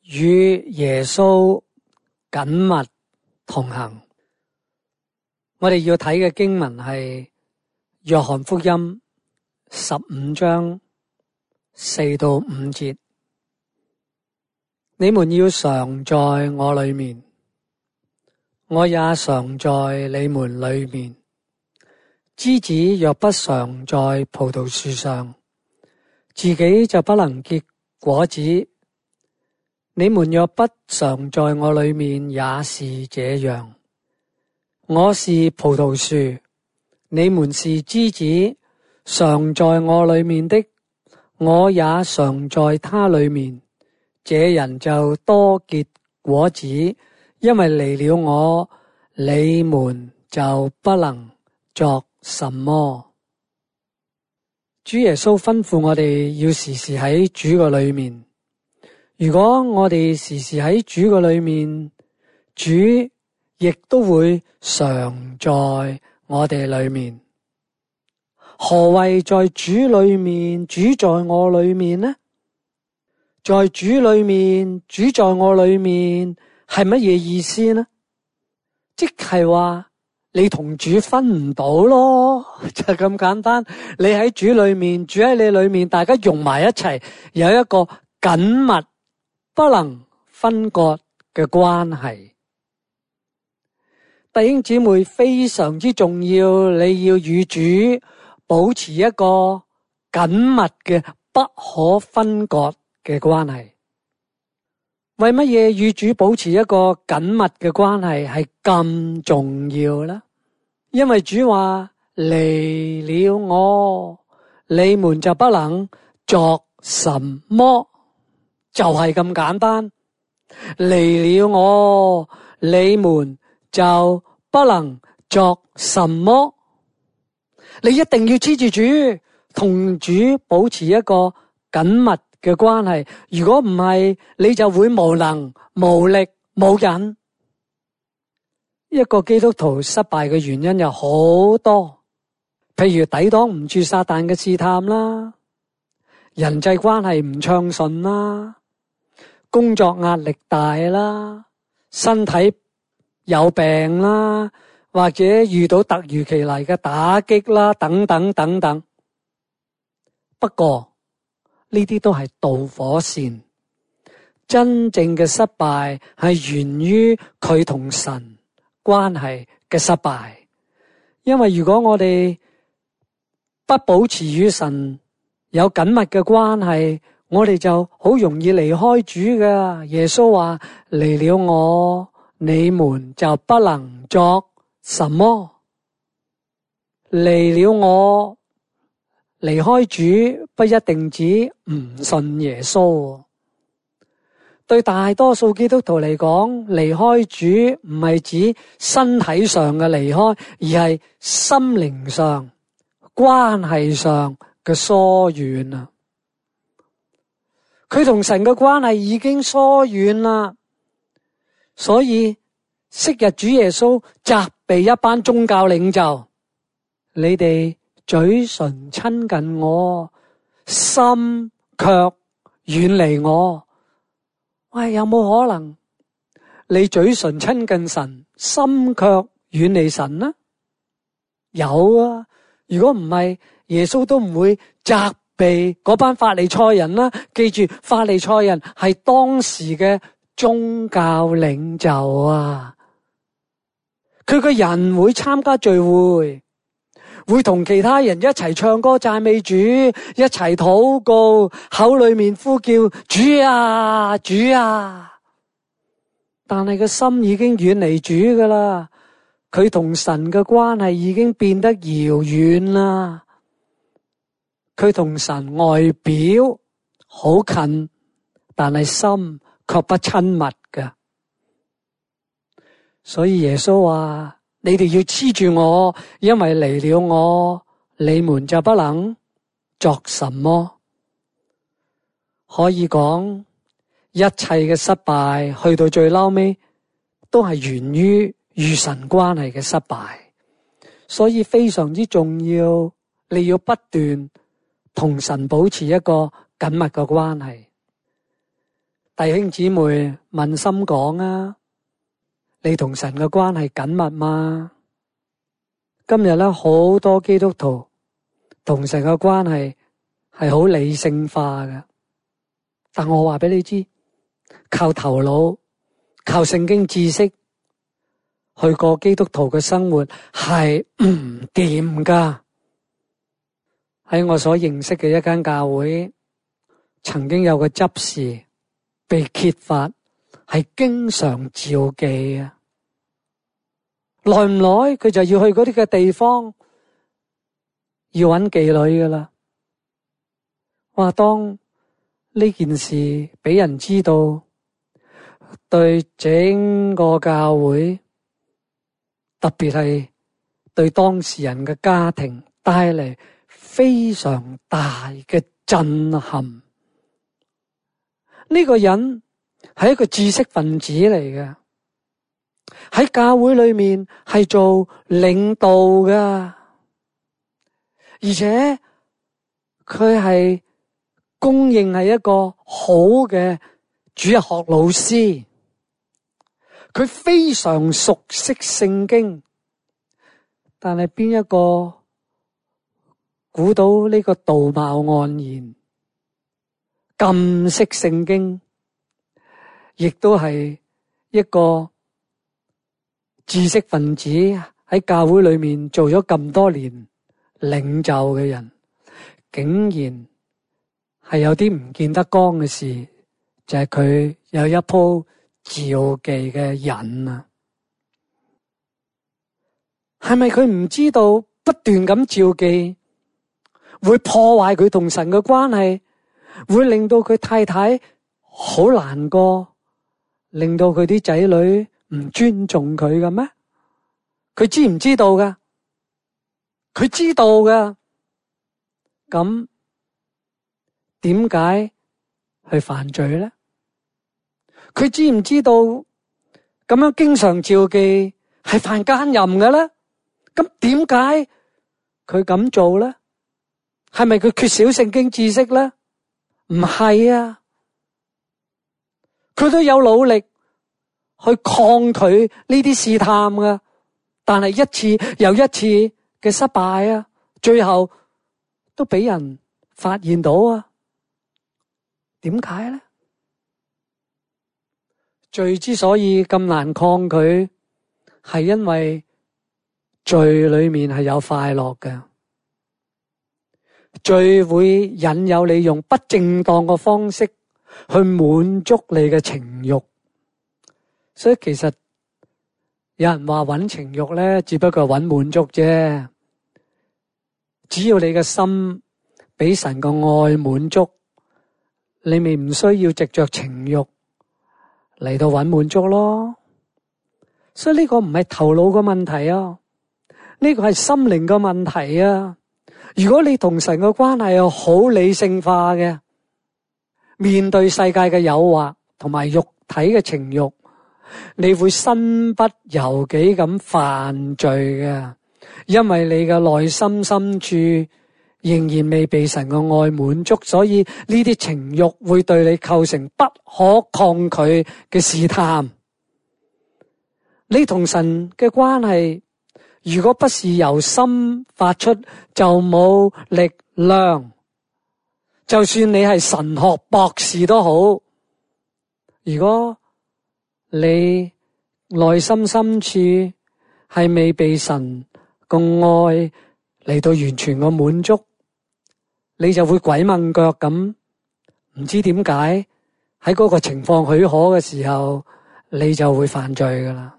與耶穌緊密同行。我哋要睇嘅經文係約翰福音15章4到5節。你們要常在我裏面，我也常在你們裏面。枝子若不常在葡萄樹上，自己就不能結果子。你們若不常在我裏面，也是這樣。我是葡萄樹，你們是枝子，常在我裏面的，我也常在他裏面。這人就多結果子，因為離了我，你們就不能作什麼。主耶穌吩咐我哋要時時喺主嘅裏面。如果我哋時時喺主嘅裏面，主亦都會常在我哋裏面。何謂在主裏面，主在我裏面呢？在主裏面，主在我裏面係乜嘢意思呢？即係話你同主分唔到咯，就咁簡單。你喺主裏面，主喺你裏面，大家融埋一齊，有一個緊密不能分割嘅關係。弟兄姊妹，非常之重要，你要與主保持一個緊密嘅不可分割嘅關係。為乜嘢與主保持一個緊密嘅關係係咁重要呢？因為主話離了我，你們就不能作什麼，就係咁簡單。離了我，你們就不能作什麼。你一定要黐住主，同主保持一個緊密嘅關係。如果唔係，你就會無能、無力、無癮。一個基督徒失敗嘅原因有好多，譬如抵擋唔住撒旦嘅試探啦，人際關係唔暢順啦，工作壓力大啦，身體有病啦，或者遇到突如其來嘅打擊啦，等等等等。不過呢啲都係導火線，真正嘅失敗係源於佢同神關係嘅失敗。因為如果我哋不保持與神有緊密嘅關係，我哋就好容易離開主㗎。耶穌話離了我，你們就不能作什麼。離了我，離開主不一定指唔信耶穌。對大多數基督徒嚟講，離開主唔係指身體上嘅離開，而係心靈上、關係上嘅疏遠啊。佢同神嘅關係已經疏遠啦，所以昔日主耶穌責備一班宗教領袖，你哋嘴唇親近我，心卻遠離我。喂，有冇可能你嘴唇親近神，心卻遠離神呢？有啊，如果唔係，耶穌都唔會責備嗰班法利賽人啦。記住，法利賽人係當時嘅宗教領袖啊。佢個人會參加聚會，會同其他人一齊唱歌讚美主，一齊禱告，口裏面呼叫主啊主啊，但係個心已經遠離主噶啦。佢同神嘅關係已經變得遙遠啦。佢同神外表好近，但係心卻不親密㗎。所以耶穌話你哋要黐住我，因為離了我，你們就不能作什麼。可以講一切嘅失敗去到最嬲尾都係源於與神關係嘅失敗。所以非常之重要，你要不斷同神保持一個緊密嘅關係。弟兄姊妹問心講啊，你同神嘅關係緊密嗎？今日咧，好多基督徒同神嘅關係係好理性化嘅，但我話俾你知，靠頭腦、靠聖經知識去過基督徒嘅生活係唔掂噶。喺我所認識嘅一間教會，曾經有個執事被揭發係經常召妓啊，耐唔耐佢就要去嗰啲嘅地方要揾妓女噶啦。哇！當呢件事俾人知道，對整個教會，特別係對當事人嘅家庭帶嚟非常大嘅震撼。呢個人係一個知識分子嚟嘅，喺教會裏面係做領導噶，而且佢係公認係一個好嘅主日學老師，佢非常熟悉聖經，但係邊一個估到呢個道貌岸然咁識聖經，亦都係一個知識分子，喺教會裏面做咗咁多年領袖嘅人，竟然係有啲唔見得光嘅事，就係佢有一鋪召妓嘅癮啊！係咪佢唔知道不斷咁召妓會破壞佢同神嘅關係，會令到佢太太好難過，令到佢啲仔女唔尊重佢嘅咩？佢知唔知道噶？佢知道噶。咁點解去犯罪咧？佢知唔知道咁樣經常召妓係犯奸淫嘅咧？咁點解佢咁做咧？係咪佢缺少聖經知識咧？唔係啊，佢都有努力去抗拒呢啲試探噶，但係一次又一次嘅失敗啊，最後都俾人發現到啊。點解咧？罪之所以咁難抗拒，係因為罪裏面係有快樂嘅。罪會引誘你用不正當嘅方式去滿足你嘅情慾，所以其實有人話揾情慾咧，只不過揾滿足啫。只要你嘅心俾神嘅愛滿足，你咪唔需要藉着情慾嚟到揾滿足咯。所以呢個唔係頭腦嘅問題啊，呢個係心靈嘅問題啊。如果你同神嘅關係係好理性化嘅，面對世界嘅誘惑同埋肉體嘅情慾，你會身不由己咁犯罪嘅，因為你嘅內心深處仍然未被神嘅愛滿足，所以呢啲情慾會對你構成不可抗拒嘅試探。你同神嘅關係如果不是由心發出，就冇力量。就算你係神學博士都好，如果你內心深處係未被神個愛嚟到完全個滿足，你就會鬼掹腳咁，唔知點解喺嗰個情況許可嘅時候，你就會犯罪噶啦。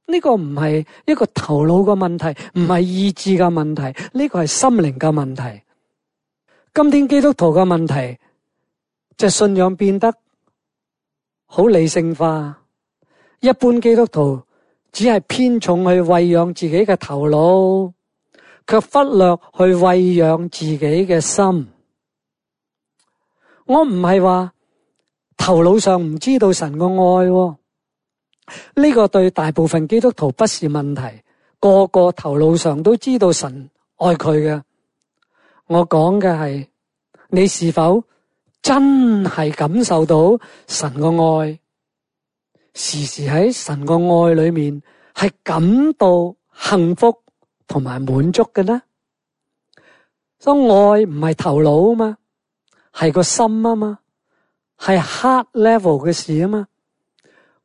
呢個唔係一個頭腦嘅問題，唔係意志嘅問題，呢個係心靈嘅問題。今天基督徒嘅問題就係信仰變得好理性化，一般基督徒只係偏重去餵養自己嘅頭腦，卻忽略去餵養自己嘅心。我唔係話頭腦上唔知道神嘅愛，呢個對大部分基督徒不是問題，個個頭腦上都知道神愛佢嘅。我講嘅係你是否真係感受到神嘅愛，時時喺神嘅愛裏面係感到幸福同埋滿足嘅呢？所以愛唔係頭腦啊嘛，係個心啊嘛，係 heart level 嘅事啊嘛。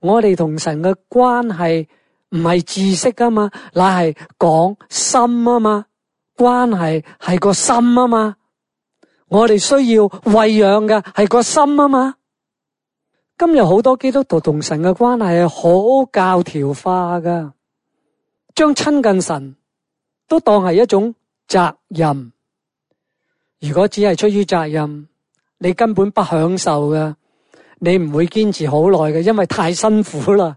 我哋同神嘅關係唔係知識啊嘛，乃係講心啊嘛，關係係個心啊嘛。我哋需要餵養嘅係個心啊嘛。今日好多基督徒同神嘅關係係好教條化噶，將親近神都當係一種責任。如果只係出於責任，你根本不享受嘅，你唔會堅持好耐嘅，因為太辛苦啦。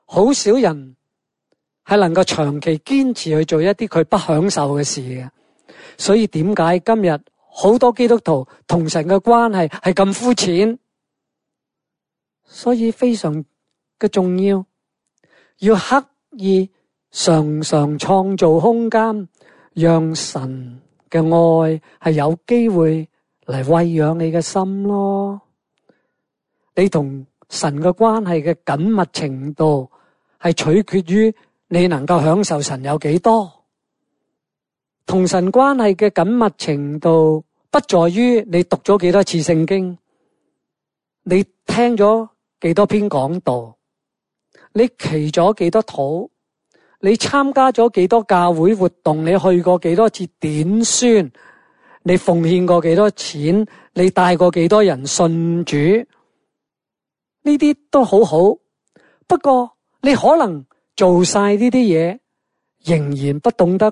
好少人係能夠長期堅持去做一啲佢不享受嘅事嘅。所以點解今日好多基督徒同神嘅關係係咁膚淺？所以非常嘅重要，要刻意常常創造空間，讓神嘅愛係有機會嚟餵養你嘅心咯。你同神嘅關係嘅緊密程度係取決於你能夠享受神有幾多。同神關係嘅緊密程度不在於你讀咗幾多次聖經，你聽咗幾多篇講道，你祈咗幾多禱，你參加咗幾多教會活動，你去過幾多次點宣，你奉獻過幾多錢，你帶過幾多人信主，呢啲都好好。不過你可能做晒呢啲嘢，仍然不懂得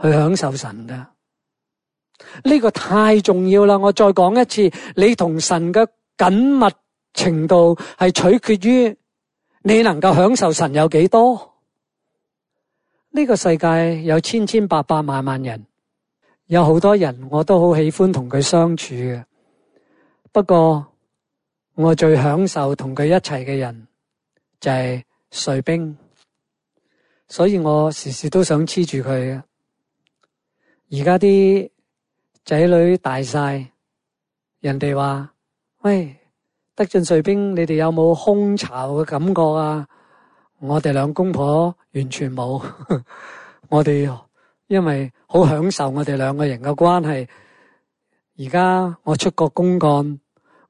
去享受神㗎。呢個太重要啦！我再講一次，你同神嘅緊密程度係取決於你能夠享受神有幾多。呢個世界有千千百百萬萬人，有好多人我都好喜歡同佢相處嘅。不過我最享受同佢一齊嘅人就係瑞兵，所以我時時都想黐住佢嘅。而家啲仔女大晒，人哋話：喂，德進瑞兵，你哋有冇空巢嘅感覺啊？我哋兩公婆完全冇。我哋因為好享受我哋兩個人嘅關係。而家我出國公幹，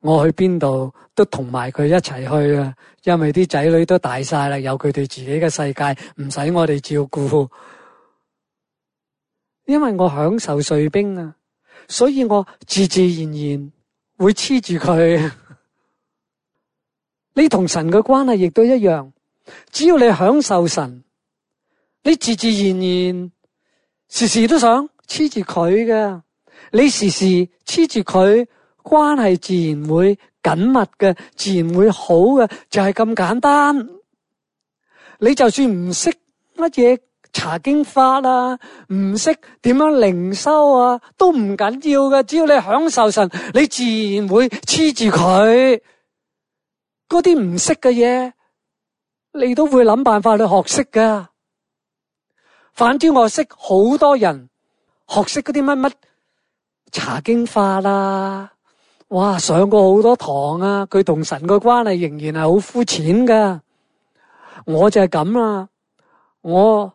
我去邊度都同埋佢一齊去啊！因為啲仔女都大晒啦，有佢哋自己嘅世界，唔使我哋照顧。因為我享受瑞兵啊，所以我自自然然會黐住佢。你同神嘅關係亦都一樣，只要你享受神，你自自然然時時都想黐住佢嘅。你時時黐住佢，關係自然會緊密嘅，自然會好嘅，就係咁簡單。你就算唔識乜嘢查經法啊，唔識點樣靈修啊，都唔緊要嘅。只要你享受神，你自然會黐住佢。嗰啲唔識嘅嘢，你都會諗辦法去學識噶。反之，我識好多人學識嗰啲乜乜查經法啦，哇，上過好多堂啊，佢同神嘅關係仍然係好膚淺噶。我就係咁啦，我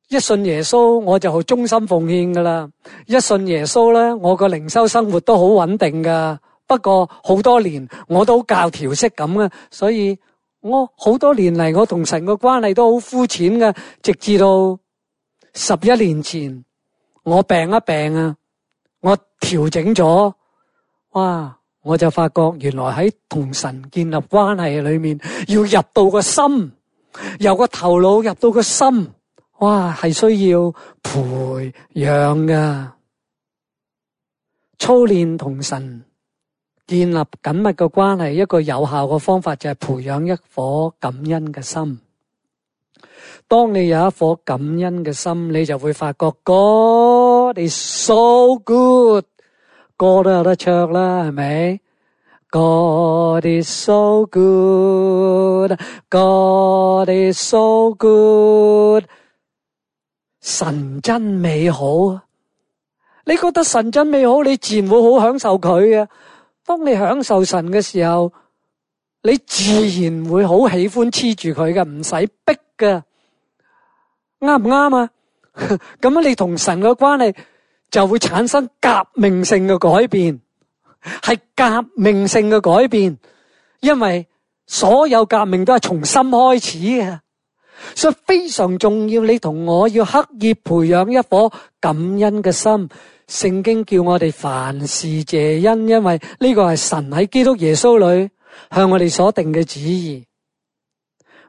一信耶穌我就好忠心奉獻噶啦。一信耶穌咧，我個靈修生活都好穩定噶。不過好多年我都教條式咁啊，所以我好多年嚟我同神嘅關係都好膚淺噶。直至到11年前我病一病啊，我調整咗，哇！我就發覺原來喺同神建立關係裏面，要入到個心，由個頭腦入到個心，哇，係需要培養噶。操練同神建立緊密嘅關係，一個有效嘅方法就係培養一顆感恩嘅心。當你有一顆感恩嘅心，你就會發覺 God is so good， 歌都有得唱啦，係咪？ God is so good， God is so good， 神真美好。你覺得神真美好，你自然會好享受佢嘅。當你享受神嘅時候，你自然會好喜歡黐住佢嘅，唔使逼嘅。啱唔啱啊？咁樣你同神嘅關係就會產生革命性嘅改變，係革命性嘅改變，因為所有革命都係從心開始嘅，所以非常重要。你同我要刻意培養一顆感恩嘅心。聖經叫我哋凡事謝恩，因為呢個係神喺基督耶穌裏向我哋所定嘅旨意。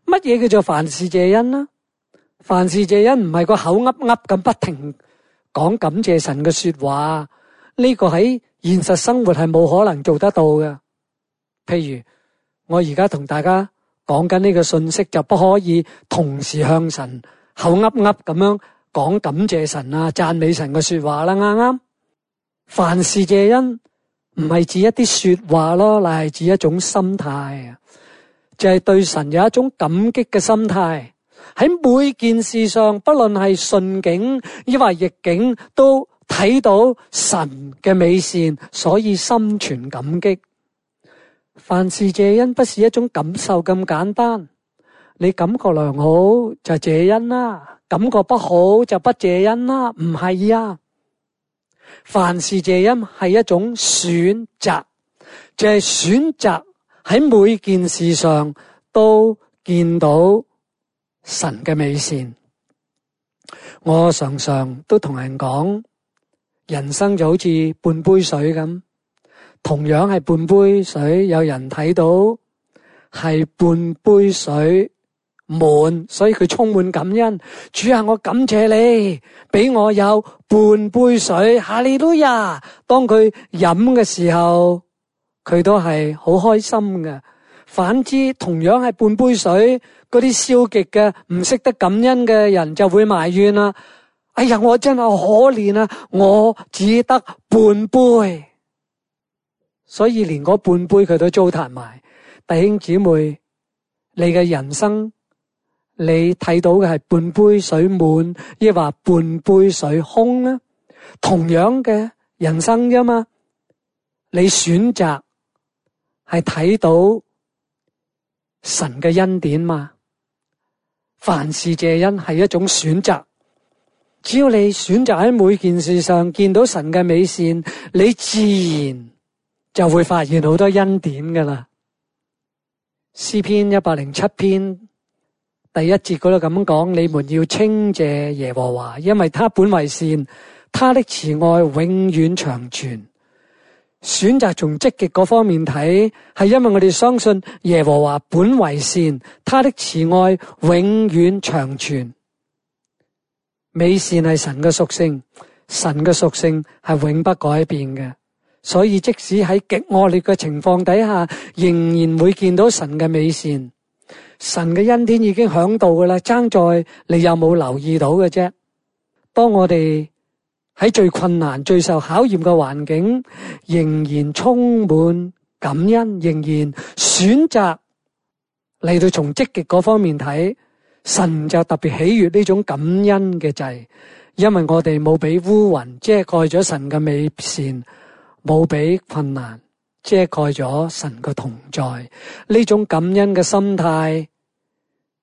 乜嘢叫做凡事謝恩呢？凡事謝恩唔係個口噏噏咁不停講感謝神嘅說話，呢個喺現實生活係冇可能做得到嘅。譬如我而家同大家講緊呢個信息，就不可以同時向神口噏噏咁樣講感謝神啊、讚美神嘅說話啦，啱啱？凡事謝恩唔係指一啲說話咯，乃係指一種心態啊，就係對神有一種感激嘅心態。喺每件事上，不論係順境抑或逆境，都睇到神嘅美善，所以心存感激。凡事謝恩不是一種感受咁簡單，你感覺良好就謝恩啦，感覺不好就不謝恩啦，唔係啊。凡事謝恩係一種選擇，就係選擇喺每件事上都見到神嘅美善。我常常都同人講，人生就好似半杯水咁，同樣係半杯水，有人睇到係半杯水滿，所以佢充滿感恩。主啊，我感謝你俾我有半杯水，哈利路亞。當佢飲嘅時候，佢都係好開心嘅。反之，同樣係半杯水，嗰啲消極嘅唔識得感恩嘅人就會埋怨啦。哎呀，我真係可憐啊，我只得半杯，所以連嗰半杯佢都糟蹋埋。弟兄姊妹，你嘅人生你睇到嘅係半杯水滿，抑或半杯水空呢？同樣嘅人生啫嘛，你選擇係睇到神嘅恩典嘛。凡事謝恩係一種選擇，只要你選擇喺每件事上見到神嘅美善，你自然就會發現好多恩典噶啦。詩篇107篇第1節嗰度咁講，你們要稱謝耶和華，因為他本為善，他的慈愛永遠長存。選擇從積極嗰方面睇，係因為我哋相信耶和華本為善，他的慈愛永遠長存。美善係神嘅屬性，神嘅屬性係永不改變嘅，所以即使喺極惡劣嘅情況底下，仍然會見到神嘅美善。神嘅恩典已經響度噶啦，爭在你有冇留意到嘅啫。當我哋喺最困難、最受考驗嘅環境，仍然充滿感恩，仍然選擇嚟到從積極嗰方面睇，神就特別喜悅呢種感恩嘅祭，因為我哋冇俾烏雲遮蓋咗神嘅美善，冇俾困難遮蓋咗神嘅同在。呢種感恩嘅心態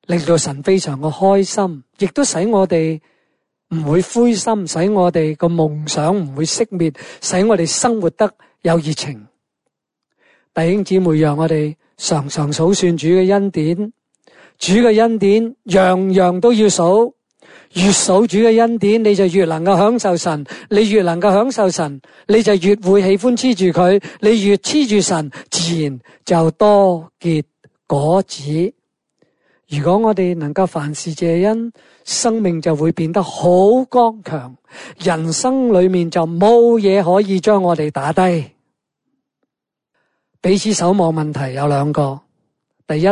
令到神非常嘅開心，亦都使我哋唔會灰心，使我哋個夢想唔會熄滅，使我哋生活得有熱情。弟兄姊妹，讓我哋常常數算主嘅恩典，主嘅恩典樣樣都要數，越數主嘅恩典，你就越能夠享受神，你越能夠享受神，你就越會喜歡黐住佢，你越黐住神，自然就多結果子。如果我哋能夠凡事謝恩，生命就會變得好剛強，人生裏面就冇嘢可以將我哋打低。彼此守望問題有兩個，第一，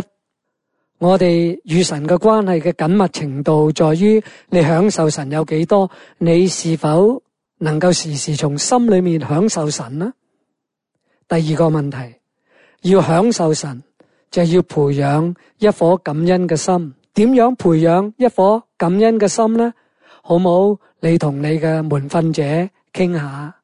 我哋與神嘅關係嘅緊密程度在於你享受神有幾多，你是否能夠時時從心裏面享受神呢？第二個問題，要享受神就要培養一顆感恩嘅心。點樣培養一顆感恩嘅心呢？好冇？你同你嘅門訓者傾下。